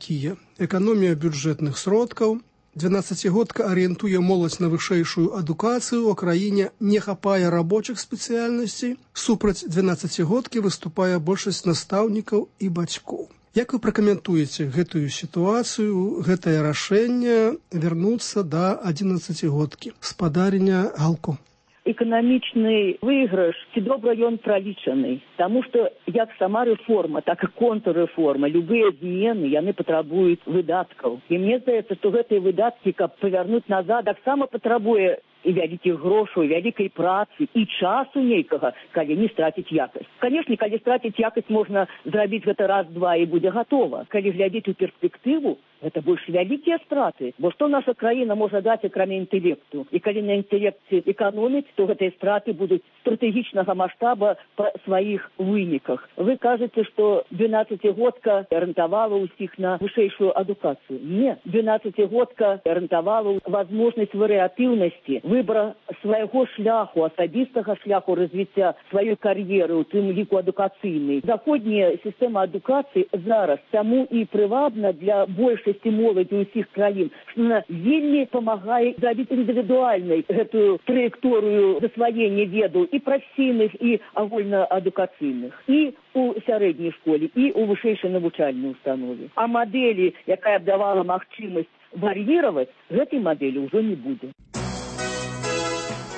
такія. Эканомія бюджэтных сродкаў, 12-годка арыентуе моладзь на вышэйшую адукацыю, у краіне не хапае рабочых спецыяльнасцей, супраць 12-годкі выступае большасць настаўнікаў і бацькоў. Як вы пракаментуеце гэтую сітуацыю, гэтае рашэнне вярнуцца да 11-годкі, спадарня Галко? Эканамічны выйгрыш, ці добра ён пралічаны. Таму што як сама рэформа, так і контррэформа, любыя змены, яны патрабуюць выдаткаў. І мне здаецца, што гэтыя выдаткі, каб павярнуць назад, таксама патрабуе і вялікіх грошаў, і вялікай працы, і часу нейкага, калі не страціць якасць. Канешне, калі страціць якасць, можна зрабіць гэта раз-два і будзе гатова. Калі глядзець у перспектыву, гэта больш вялікія страты. Бо што наша краіна можа даць, акрамя інтэлекту? І калі на інтэлекце эканоміць, то гэтыя страты будуць стратэгічнага маштаба па сваіх выніках. Вы кажаце, што 12-годка арыентавала ўсіх на вышэйшую адукацыю. Не, 12-годка арыентавала возможнасць варыятыўнасці, выбора свайго шляху, асабістага шляху развіцця сваёй кар'еры, у тым ліку адукацыйнай. Заходняя сістэма адукацыі зараз таму і прывабна для большасці моладзі ўсіх краін, што она вельмі памагае зрабіць індывідуальнай гэтую траекторыю засваення ведаў і прафесійных, і агульнаадукацыйных, і у сярэдняй школе, і у вышэйшай навучальнай установе. А мадэлі, якая б давала магчымасць вар'іраваць, гэтай мадэлі ўжо не будзе.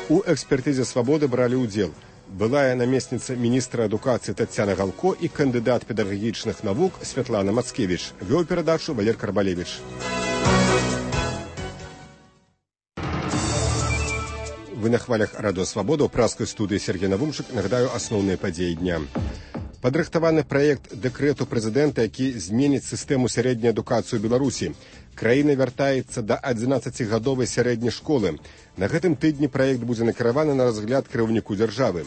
У экспертызе «Свабоды» бралі ўдзел былая намесніца міністра адукацыі Тацяна Галко і кандыдат педагагічных навук Святлана Мацкевіч. Вёў перадачу Валер Карбалевіч. Вы на хвалях радыё «Свабода», у праскай студыі Сергей Навумчык. Нагадаю асноўныя падзеі дня. Падрыхтаваны праект дэкрэту прэзідэнта, які зменіць сістэму сярэдняй адукацыі ў Беларусі. Краіна вяртаецца да 11-гадовай сярэдняй школы. На гэтым тыдні праект будзе накіраваны на разгляд кіраўніку дзяржавы.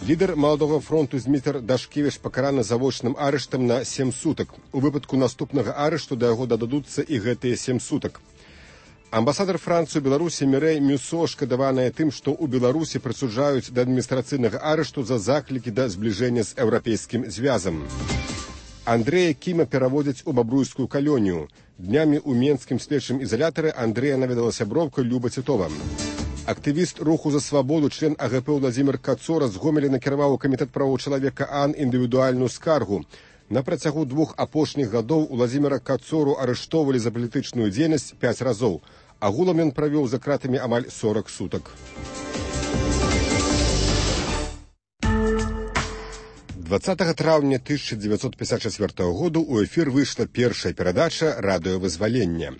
Лідар Маладога фронту Змітр Дашкевіч пакараны завочным арыштам на 7 сутак. У выпадку наступнага арышту да яго дададуцца і гэтыя 7 сутак. Амбасадар Францыі ў Беларусі Мірэй Мюсо шкадаваная тым, што ў Беларусі прысуджаюць да адміністрацыйнага арышту за заклікі да збліжэння з еўрапейскім звязам. Андрэя Кіма пераводзяць у бабруйскую калонію. Днямі ў менскім следчым ізалятары Андрэя наведала сяброўка Люба Цітова. Актывіст руху за свабоду, член АГП Владзімір Кацора з Гомеля накіраваў у камітэт правоў чалавека АН індывідуальную скаргу. На працягу 2 апошніх гадоў Владзіміра Кацору арыштоўвалі за палітычную дзейнасць 5 разоў. Агулам ён правёў за кратамі амаль 40 сутак. 20 траўня 1954 году ў эфір выйшла першая перадача «Радыёвызвалення».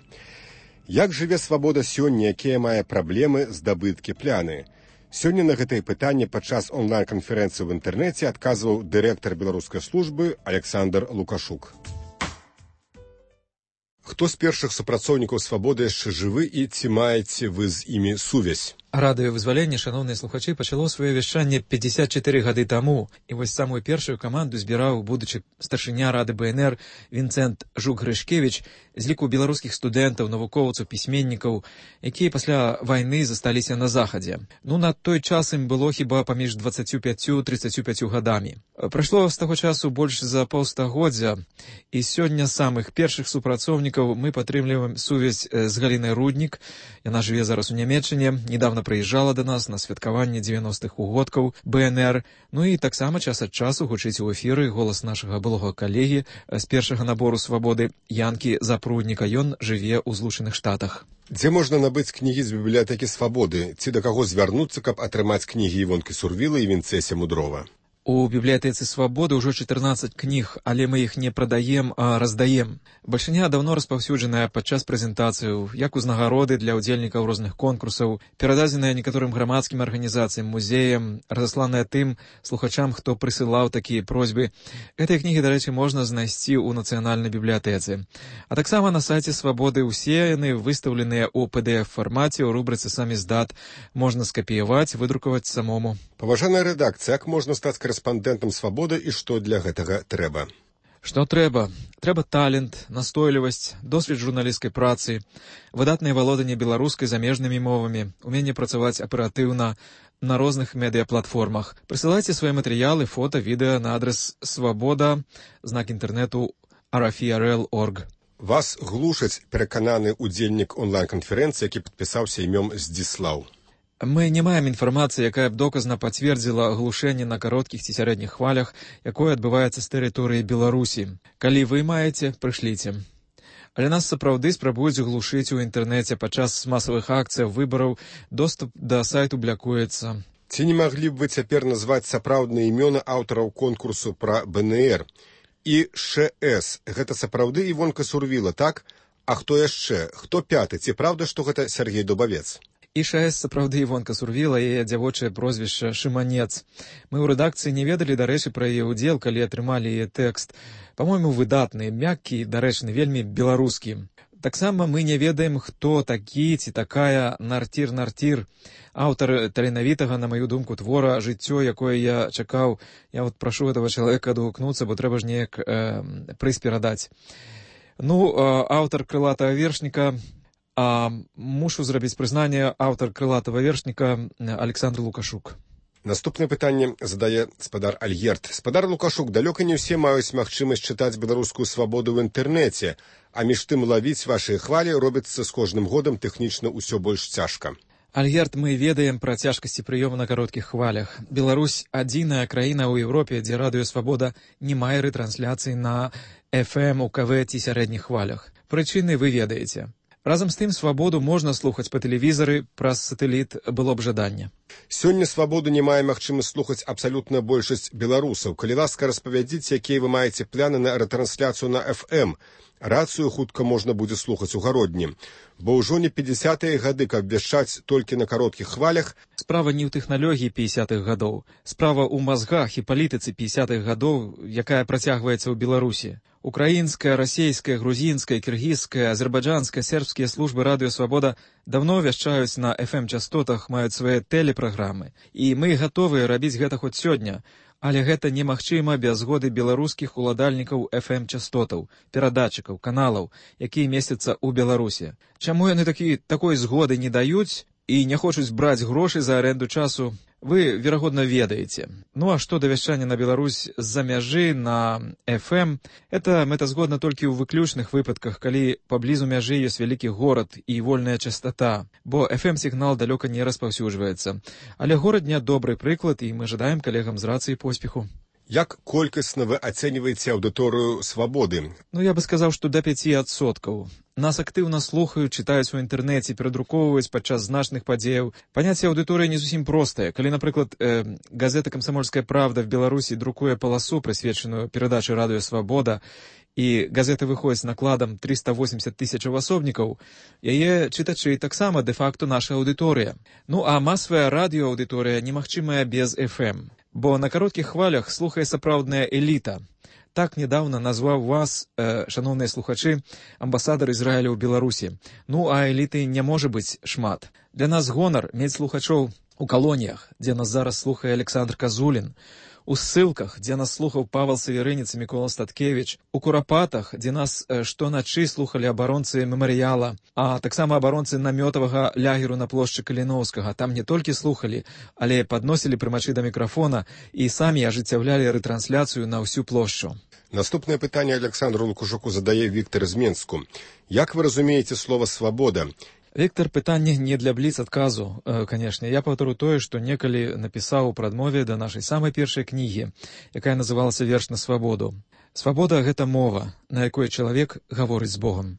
Як жыве свабода сёння, якія мае праблемы, здабыткі, пляны? Сёння на гэтае пытанне падчас онлайн-канферэнцыі ў інтэрнэце адказваў дырэктар беларускай службы Александр Лукашук. Хто з першых супрацоўнікаў свабоды яшчэ жывы і ці маеце вы з імі сувязь? Радыёвызваленне, шаноўныя слухачы, пачало сваё вяшчанне 54 гады таму. І вось самую першую каманду збіраў будучы старшыня Рады БНР Вінцэнт Жук-Грышкевіч з ліку беларускіх студэнтаў, навукоўцаў, пісьменнікаў, якія пасля вайны засталіся на захадзе. На той час ім было хіба паміж 25-35 гадамі. Прайшло з таго часу больш за паўстагоддзя, і сёння самых першых супрацоўнікаў мы падтрымліваем сувязь з Галінай Руднік. Яна жыве зараз у Нямецчыне, недавно прыязджала да нас на святкаванне 90-х угодкаў БНР, і таксама час ад часу гучыць у эфіры голас нашага былога калегі з першага набору свабоды Янкі Запрудніка. Ён жыве ў Злучаных Штатах. Дзе можна набыць кнігі з бібліятэкі свабоды? Ці да каго звярнуцца, каб атрымаць кнігі Івонкі Сурвіла і Вінцэся Мудрова? У бібліятэцы свабоды ўжо 14 кніг, але мы іх не прадаем, а раздаем. Бальшыня даўно распаўсюджаная падчас прэзентацыяў, як узнагароды для ўдзельнікаў розных конкурсаў, перададзеная некаторым грамадскім арганізацыям, музеям, разасланая тым слухачам, хто прысылаў такія просьбы. Гэтыя кнігі, дарэчы, можна знайсці ў нацыянальнай бібліятэцы. А таксама на сайце свабоды ўсе яны выстаўленыя ў PDF-фармаце, у рубрыцы «Самиздат». Можна скапіяваць, выдрукаваць самому. Паважаная рэдакцыя, як можна стаць корэспандэнтам свабоды і што для гэтага трэба? Што трэба? Трэба талент, настойлівасць, досвед журналісцкай працы, выдатнае валоданне беларускай замежнымі мовамі, уменне працаваць аператыўна на розных медыяплатформах. Прысылайце свае матэрыялы, фота, відэа на адрес свабода, знак інтэрнэту rfi.rl.org. Вас глушаць, перакананы удзельнік онлайн-канферэнцыі, які падпісаўся імём Здзіслаў. Мы не маем інфармацыі, якая б доказна пацвердзіла глушэнне на кароткіх ці сярэдніх хвалях, якое адбываецца з тэрыторыі Беларусі. Калі вы маеце, прышліце. Але нас сапраўды спрабуюць глушыць у інтэрнэце падчас масавых акцыяў выбараў, доступ да сайту блякуецца. Ці не маглі б вы цяпер назваць сапраўдныя імёны аўтараў конкурсу пра БНР? І ШС, гэта сапраўды Івонка Сурвіла, так? А хто яшчэ? Хто пяты? Ці правда, што гэта Сергей Дубавец? І ШС сапраўды Івонка Сурвіла, яе дзявочае прозвішча Шыманец. Мы ў рэдакцыі не ведалі, дарэчы, пра яе ўдзел, калі атрымалі яе тэкст. Па-мойму, выдатны, мяккі, дарэчны, вельмі беларускі. Таксама мы не ведаем, хто такі ці такая Нартір-Нартір, аўтар таленавітага, на маю думку, твора «Жыццё», якое я чакаў. Я вот прашу этого чалавека адгукнуцца, бо трэба ж неяк прыз перадаць. Ну, аўтар крылатага вершніка, мушу зрабіць прызнанне, аўтар крылатага вершніка Александр Лукашук. Наступнае пытанне задае спадар Альгерт. Спадар Лукашук, далёка не ўсе маюць магчымасць чытаць беларускую свабоду ў інтэрнэце, а між тым лавіць вашыя хвалі робіцца з кожным годам тэхнічна ўсё больш цяжка. Альгерт, мы ведаем пра цяжкасці прыёму на кароткіх хвалях. Беларусь — адзіная краіна ў Еўропе, дзе радыё «Свабода» не мае рэтрансляцыі на FM, УКВ ці сярэдніх хвалях. Прычыны вы ведаеце. Разам з тым, «Свабоду» можна слухаць па тэлевізары, праз сатэліт было б жаданне. Сёння «Свабоду» не мае магчымасць слухаць абсалютная большасць беларусаў. Калі ласка, распавядзіце, якія вы маеце пляны на рэтрансляцыю на FM. Рацыю хутка можна будзе слухаць у гародні. Бо ўжо не 50-е гады, каб вяшчаць толькі на кароткіх хвалях. Справа не ў тэхналогіі 50-х гадоў. Справа ў мазгах і палітыцы 50-х гадоў, якая працягваецца ў Беларусі. Украінская, расейская, грузінская, кіргізская, азербайджанская, сербскія службы радыё «Свабода» давно вяшчаюць на FM-частотах, маюць свае тэлепраграмы. І мы гатовыя рабіць гэта хоць сёння. Але гэта немагчыма без згоды беларускіх уладальнікаў FM-частотаў, перадатчыкаў, каналаў, якія месяцца ў Беларусі. Чаму яны такой згоды не даюць і не хочуць браць грошы за аренду часу, вы, верагодна, ведаеце. Ну а што да вяшчання на Беларусь з-за мяжы на FM, это мэтазгодна толькі ў выключных выпадках, калі паблізу мяжы ёсць вялікі горад і вольная частота, бо FM-сігнал далёка не распаўсюджваецца. Але горад не добры прыклад, і мы жадаем калегам з рацыі поспеху. Як колькасна вы ацэньваеце аўдыторыю «Свабоды»? Ну, я бы сказаў, што да 5%. Нас актыўна слухаюць, чытаюць у інтэрнэце, перадрукоўваюць падчас значных падзеяў. Паняцце аўдыторыі не зусім простае. Калі, напрыклад, газета «Камсамольская правда» в Беларусі друкуе паласу, прысвечаную перадачы радыё «Свабода», і газета выходзіць накладам 380 тысячаў асобнікаў, яе чытачы таксама дэ-факту наша аўдыторыя. Ну, а масавая радыёаўдыторыя немагчымая без FM. Бо на кароткіх хвалях слухае сапраўдная эліта. Так недавно назваў вас, шановныя слухачы, амбасадар Ізраіля ў Беларусі. Ну, а эліты не можа быць шмат. Для нас гонар мець слухачоў у калоніях, дзе нас зараз слухае Александр Казулін, у ссылках, дзе нас слухаў Павел Савярыніц і Мікола Статкевіч, у Курапатах, дзе нас штоначы слухалі абаронцы мемарыяла, а таксама абаронцы намётавага лягеру на плошчы Каліноўскага. Там не толькі слухалі, але падносілі прымачы да мікрафона і самі ажыццяўлялі рэтрансляцыю на ўсю плошчу. Наступнае пытанне Александру Лукашуку задае Віктор з Менску. Як вы разумееце слова «свабода»? Віктор, пытанне не для бліц-адказу, канешне. Я паўтару тое, што некалі напісаў у прадмове да нашай самай першай кнігі, якая называлася «Верш на свабоду». Свабода — гэта мова, на якой чалавек гаворыць з Богам.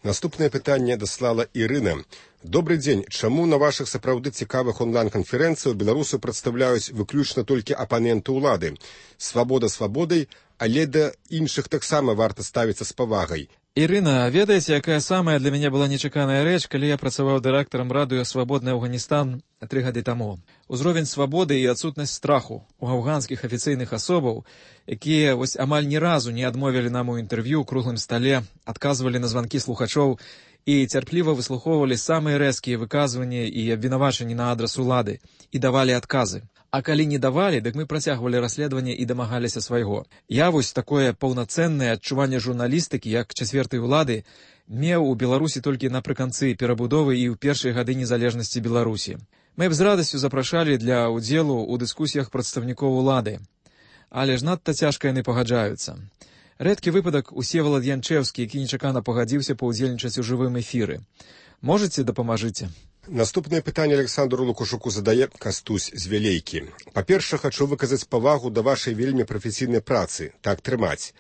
Наступнае пытанне даслала Ірына. Добрый дзень. Чаму на вашых сапраўды цікавых онлайн-канферэнцыях беларусы прадстаўляюць выключна толькі апаненты ўлады? Свабода свабодай, але да іншых таксама варта ставіцца з павагай. Ірына, ведаеце, якая самая для мяне была нечаканая рэч, калі я працаваў дырэктарам радыё «Свабодны Афганістан» 3 гады таму? Узровень свабоды і адсутнасць страху у афганскіх афіцыйных асобаў, якія вось амаль ні разу не адмовілі нам у інтэрв'ю ў круглым стале, адказвалі на званкі слухачоў і цярпліва выслухоўвалі самыя рэзкія выказванні і абвінавачанні на адрас улады і давалі адказы. А калі не давалі, дык мы працягвалі расследаванне і дамагаліся свайго. Я вось такое паўнацэннае адчуванне журналістыкі, як чацвертай улады, меў у Беларусі толькі напрыканцы перабудовы і ў першыя гады незалежнасці Беларусі. Мы б з радасцю запрашалі для ўдзелу ў дыскусіях прадстаўнікоў улады. Але ж надта цяжка яны пагаджаюцца. Рэдкі выпадак Усевалад Янчэўскі, які нечакана пагадзіўся паўдзельнічаць у жывым эфіры. Можаце дапамажыце? Наступнае пытанне Александру Лукашуку задае Кастусь з Вялейкі. Па-першае, хачу выказаць павагу да вашай вельмі прафесійнай працы. Так трымаць.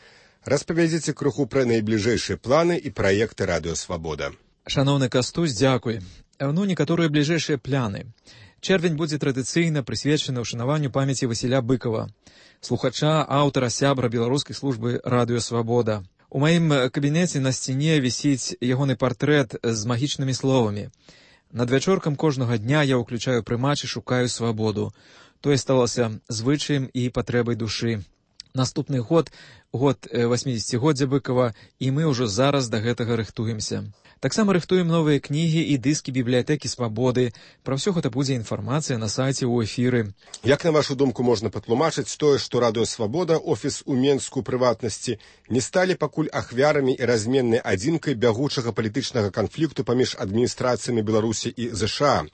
Распавядзіце крыху пра найбліжэйшыя планы і праекты Радыё Свабода. Шаноўны Кастусь, дзякуй. Некаторыя бліжэйшыя планы. Чэрвень будзе традыцыйна прысвечаны ўшанаванню памяці Васіля Быкова, слухача, аўтара, сябра беларускай службы Радыё Свабода. У маім кабінеце на сцяне вісіць ягоны партрэт з магічнымі словамі. Надвячоркам кожнага дня я ўключаю прымач і шукаю свабоду. Тое сталася звычаем і патрэбай душы. Наступны год 80-годдзя Быкова, і мы ўжо зараз да гэтага рыхтуемся. Таксама рыхтуем новыя кнігі і дыскі бібліятэкі Свабоды. Пра ўсё гэта будзе інфармацыя на сайце ў эфіры. Як, на вашу думку, можна патлумачыць тое, што Радыё Свабода, офіс у Менску прыватнасці, не сталі пакуль ахвярамі і разменнай адзінкай бягучага палітычнага канфлікту паміж адміністрацыямі Беларусі і ЗША?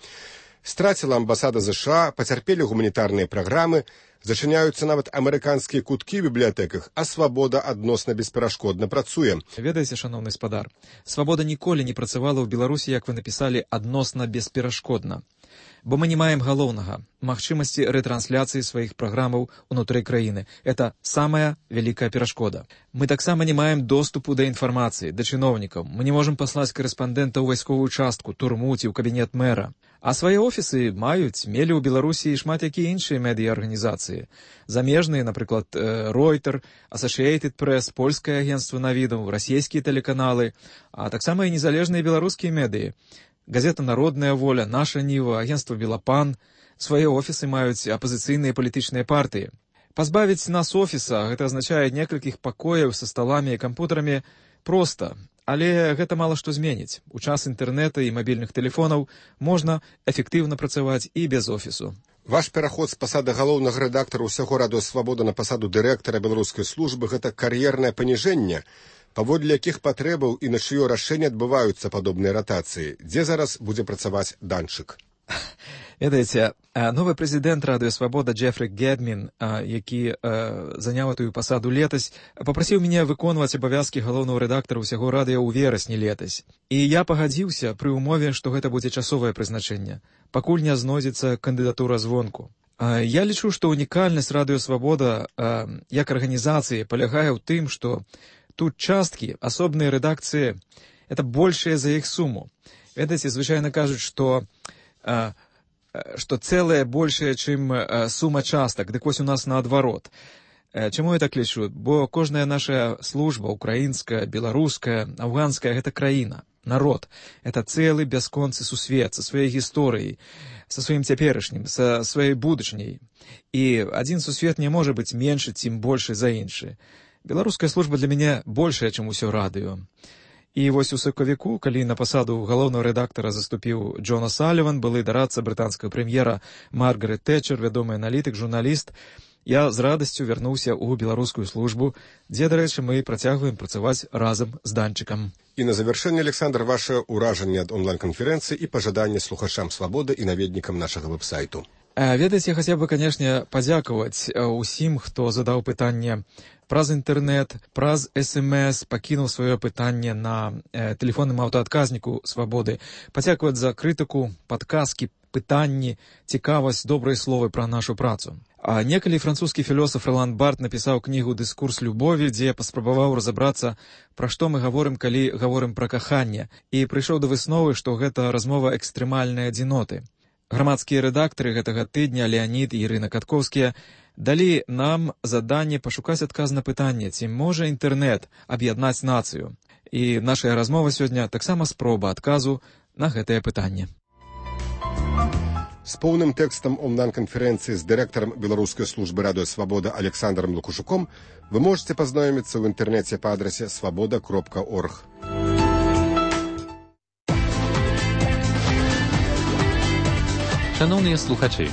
Страціла амбасада ЗША, пацярпелі гуманітарныя праграмы, зачыняюцца нават амерыканскія куткі ў бібліятэках, а Свабода адносна бесперашкодна працуе. Ведаеце, шаноўны спадар, Свабода ніколі не працавала ў Беларусі, як вы напісалі, адносна бесперашкодна. Бо мы не маем галоўнага – магчымасці рэтрансляцыі сваіх праграмаў унутры краіны. Это самая вялікая перашкода. Мы таксама не маем доступу да інфармацыі, да чыноўнікаў. Мы не можам паслаць карэспандэнта ў вайсковую частку, турму ці ў кабінет мэра. А свае офісы мелі ў Беларусі шмат якія іншыя медыа-арганізацыі. Замежныя, напрыклад, Reuters, Associated Press, польскае агенцтва навідаў, расійскія тэлеканалы, а таксама і незалежныя беларускія медыі. Газета «Народная воля», «Наша Ніва», агентство «Белапан». Свае офісы маюць апазіцыйныя палітычныя партыі. Пазбавіць нас офіса – гэта азначае некалькіх пакояў са сталамі і кампутарамі проста. Але гэта мала што зменіць. У час інтэрнэта і мабільных тэлефонаў можна эфектыўна працаваць і без офісу. Ваш пераход з пасады галоўнага рэдактара ўсяго Радыё Свабода на пасаду дырэктара беларускай службы – гэта кар'ернае паніжэнне, паводле якіх патрэбаў і на чыё рашэнне адбываюцца падобныя ратацыі. Дзе зараз будзе працаваць Данчык? Ведаеце, новы прэзідэнт Радыё Свабода Джефры Гедмін, які заняў этую пасаду летась, папрасіў мяне выконваць абавязкі галоўнага рэдактара ўсяго радыё ў верасні летась. І я пагадзіўся пры ўмове, што гэта будзе часовае прызначэнне, пакуль не знойдзецца кандыдатура звонку. Я лічу, што унікальнасць Радыё Свабода як арганізацыі палягае ў тым, што тут часткі, асобныя рэдакцыі – это большая за іх суму. Ведаеце, звычайна кажуць, што цэлае большая, чым сума частак. Дык вось у нас наадварот. Чаму я так лічу? Бо кожная наша служба, украінская, беларуская, афганская – гэта краіна, народ. Это цэлы бясконцы сусвет са сваёй гісторыяй, са сваім цяперашнім, са сваёй будучняй. І адзін сусвет не можа быць меншы, цім большы за іншы. Беларуская служба для мяне большая, чым усё радыё. І вось у сакавіку, калі на пасаду галоўнага рэдактара заступіў Джон О'Саліван, былы дарадца брытанскага прэм'ера Маргарет Тэтчер, вядомы аналітык, журналіст, я з радасцю вярнуўся ў беларускую службу, дзе, дарэчы, мы працягваем працаваць разам з Данчыкам. І на завяршэнне, Александр, ваше ўражанне ад онлайн-канферэнцыі і пажаданне слухачам Свабоды і наведнікам нашага вэб-сайту. Ведаеце, я хацеў бы, канешне, падзякаваць усім, хто задаў пытанне праз інтэрнэт, праз СМС, пакінуў сваё пытанне на тэлефонным аўтаадказніку Свабоды. Падзякаваць за крытыку, падказкі, пытанні, цікавасць, добрыя словы пра нашу працу. А некалі французскі філосаф Ролан Барт напісаў кнігу «Дыскурс любові», дзе паспрабаваў разабрацца, пра што мы гаворым, калі гаворым пра каханне, і прыйшоў да высновы, што гэта размова экстрэмальнай адзіноты. Грамадскія рэдактары гэтага тыдня, Леанід і Ірына Каткоўскія, далі нам заданне пашукаць адказ на пытанне, ці можа інтэрнэт аб'яднаць нацыю. І наша размова сёння таксама спроба адказу на гэтае пытанне. З поўным тэкстам онлайн-канферэнцыі з дырэктарам беларускай службы Радыё Свабода Александром Лукашуком вы можете пазнаёміцца ў інтэрнэце па адрасе свабода.орг. Шановныя слухачы,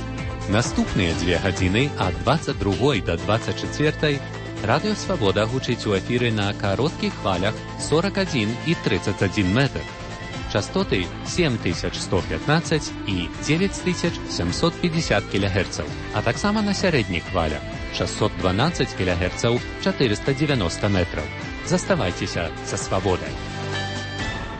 наступныя 2 гадзіны ад 22 да 24 Радыё Свабода гучыць у эфіры на кароткіх хвалях 41 і 31 метр. частоты 7115 і 9750 кГц, а таксама на сярэдніх хвалях 612 кГц 490 метраў. Заставайцеся са свабодай.